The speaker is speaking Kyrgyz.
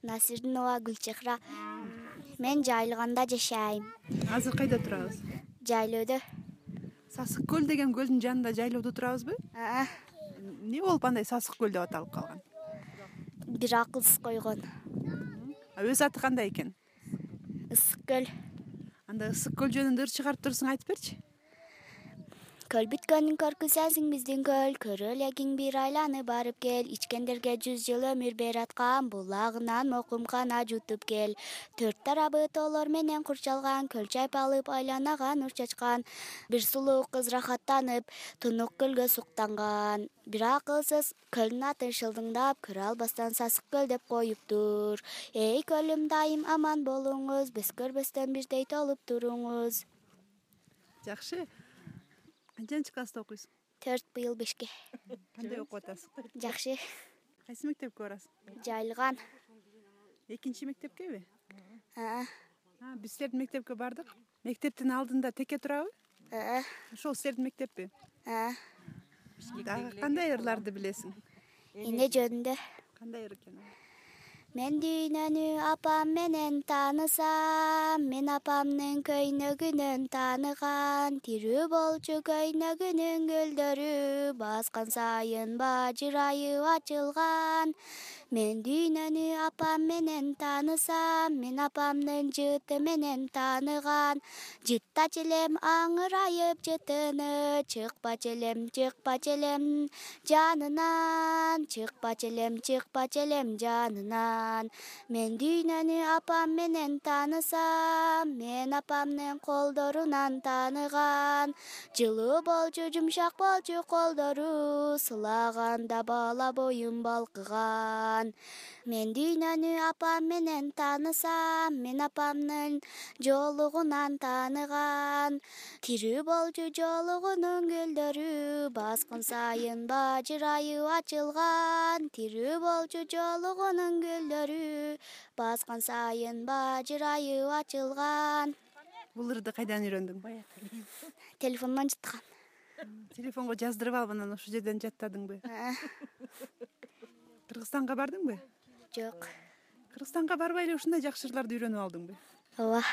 Насирдинова Гүлчехра. Мен Жайылганда жашайм. Азыр кайда турабыз? Жайлоодо. Сасык көл деген көлдүн жанында жайлоодо турабызбы? Эмне болуп андай Сасык көл деп аталып калган? Бир акылсыз койгон. Өз аты кандай экен? Ысык көл. Анда ысык көл жөнүндө ыр чыгарып турсуң, айтып берчи. Көл бүткөндүн көркү сенсиң биздин көл, көрө элегиң бир айланып барып кел. Ичкендерге 100 жыл өмүр бераткан, булагынан мокум гана жутуп кел. Төрт тарабы тоолор менен курчалган, көл чайпалып айланага нур чачкан. Бир сулуу кыз рахаттанып, тунук көлгө суктанган. Бир акылсыз көлдүн атын шылдыңдап, көрө албастан Сасык көл деп коюптур. Эй көлүм, дайым аман болуңуз, биз көрбөстөн бирдей толуп туруңуз. Жакшы. Канчанчы класста окуйсуң? 4 быйыл 5-ке. Кандай окуп атасың? Жакшы. Кайсы мектепке барасың? Жайылган. 2 мектепкеби? Биз силердин мектепке бардык. Мектептин алдында теке турабы? Ошол силердин мектеппи? Дагы кандай ырларды билесиң? Эне жөнүндө. Кандай ыр экен? Мен дүйнөнү апам менен таанысам, мен апамдын көйнөгүнөн тааныган. Тирүү болчу көйнөгүнүн гүлдөрү, баскан сайын бажырайып ачылган. Мен дүйнөнү апам менен таанысам, мен апамдын жыты менен тааныган. Жыттачы элем аңырайып жытыны, чыкпачы элем жанынан, чыкпачы элем жанынан. Мен дүйнөнү апам менен таанысам, мен апамдын колдорунан тааныган. Жылуу болчу, жумшак болчу колдору, сылаганда бала боюм балкыган. Мен дүйнөнү апам менен таанысам, мен апамдын жоолугунан тааныган. Тирүү болчу жоолугунун гүлдөрү, баскан сайын бажырайып ачылган. Тирүү болчу жоолугунун гүлдөрү, баскан сайын бажырайып ачылган. Бул ырды кайдан үйрөндүң? Телефондон жыткан. Телефонго жаздырып алып анан ошол жерден жаттадыңбы? Кыргызстанга бардыңбы? Жок. Кыргызстанга барбай эле ушундай жакшы ырларды үйрөнүп алдыңбы? Ооба.